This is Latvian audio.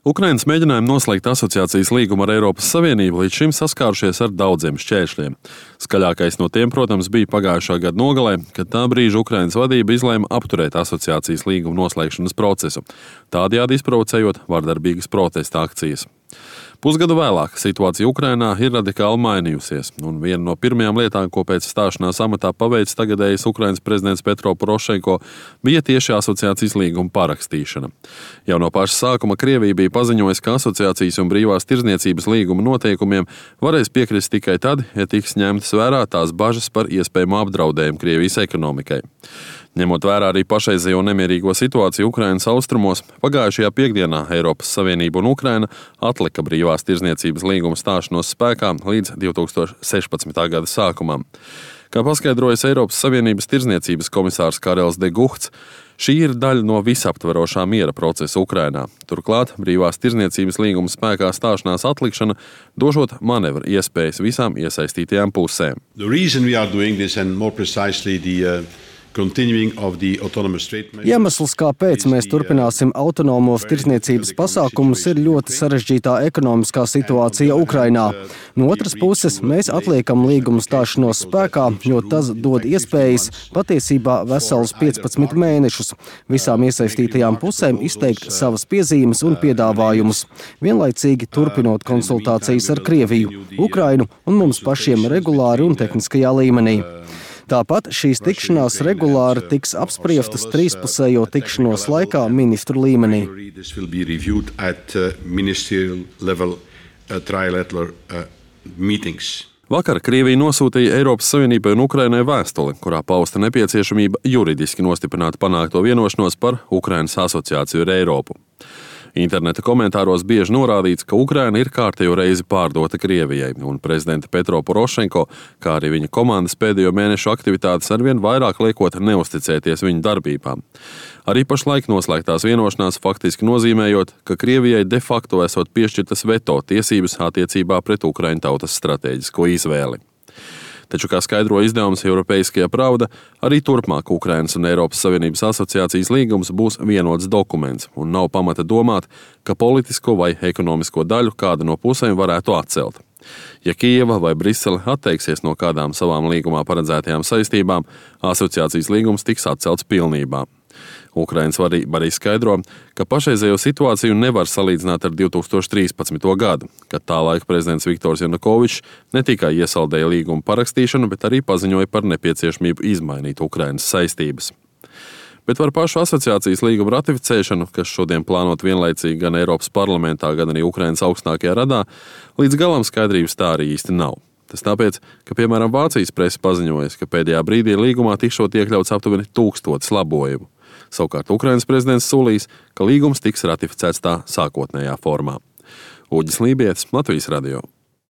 Ukrainas mēģinājumi noslēgt asociācijas līgumu ar Eiropas Savienību līdz šim saskārušies ar daudziem šķēršļiem. Skaļākais no tiem, protams, bija pagājušā gada nogalē, kad tā brīža Ukrainas vadība izlēma apturēt asociācijas līguma noslēgšanas procesu, tādējādi izprovocējot vardarbīgas protesta akcijas. Pusgadu vēlāk situācija Ukrainā ir radikāli mainījusies, un viena no pirmajām lietām, ko pēc stāšanās amatā paveicis tagadējais Ukrainas prezidents Petro Porošenko, bija tieši asociācijas līguma parakstīšana. Jau no paša sākuma Krievija bija paziņojusi, ka asociācijas un brīvās tirdzniecības līguma noteikumiem varēs piekrist tikai tad, ja tiks ņemtas vērā tās bažas par iespējamu apdraudējumu Krievijas ekonomikai. Ņemot vērā arī pašreizējo nemierīgo situāciju Ukrainas austrumos, pagājušajā piekdienā Eiropas Savienība un Ukraina atlika brīvās tirdzniecības līguma stāšanos spēkā līdz 2016. gada sākumam. Kā paskaidrojas Eiropas Savienības tirdzniecības komisārs Karels de Guhts, šī ir daļa no visaptverošā miera procesa Ukrainā. Turklāt brīvās tirdzniecības līguma spēkā stāšanās atlikšana došot manevru iespējas visām iesaistītajām pusēm. Iemesls, kāpēc mēs turpināsim autonomos tirdzniecības pasākumus, ir ļoti sarežģītā ekonomiskā situācija Ukrainā. No otras puses, mēs atliekam līgumu stāšanos spēkā, jo tas dod iespējas patiesībā veselus 15 mēnešus visām iesaistītajām pusēm izteikt savas piezīmes un piedāvājumus, vienlaicīgi turpinot konsultācijas ar Krieviju, Ukrainu un mums pašiem regulāri un tehniskajā līmenī. Tāpat šīs tikšanās regulāri tiks apspriestas trīspusējo tikšanos laikā ministru līmenī. Vakar Krievija nosūtīja Eiropas Savienībai un Ukrainai vēstuli, kurā pausta nepieciešamība juridiski nostiprināt panākto vienošanos par Ukrainas asociāciju ar Eiropu. Interneta komentāros bieži norādīts, ka Ukraina ir kārtējo reizi pārdota Krievijai, un prezidenta Petro Porošenko, kā arī viņa komandas pēdējo mēnešu aktivitātes arvien vairāk liekot neusticēties viņu darbībām. Arī pašlaik noslēgtās vienošanās faktiski nozīmējot, ka Krievijai de facto esot piešķirtas veto tiesības attiecībā pret Ukraiņu tautas stratēģisko izvēli. Taču, kā skaidro izdevums Europeiskajā Pravda, arī turpmāk Ukrainas un Eiropas Savienības asociācijas līgums būs vienots dokuments, un nav pamata domāt, ka politisko vai ekonomisko daļu kāda no pusēm varētu atcelt. Ja Kijeva vai Brisele atteiksies no kādām savām līgumā paredzētajām saistībām, asociācijas līgums tiks atcelts pilnībā. Ukrainas vadība arī skaidro, ka pašreizējo situāciju nevar salīdzināt ar 2013. gadu, kad tā laika prezidents Viktors Janukovičs ne tikai iesaldēja līgumu parakstīšanu, bet arī paziņoja par nepieciešamību izmainīt Ukrainas saistības. Bet par pašu asociācijas līgumu ratificēšanu, kas šodien plānot vienlaicīgi gan Eiropas parlamentā, gan arī Ukrainas augstākajā radā, līdz galam skaidrības tā arī īsti nav. Tas tāpēc, ka, piemēram, Vācijas prese paziņojas, ka pēdējā brīdī līgumā tikšot iekļauts aptuveni 1000 labojumu. Savukārt Ukrainas prezidents solīs, ka līgums tiks ratificēts tā sākotnējā formā. Uģis Lībietis, Latvijas radio.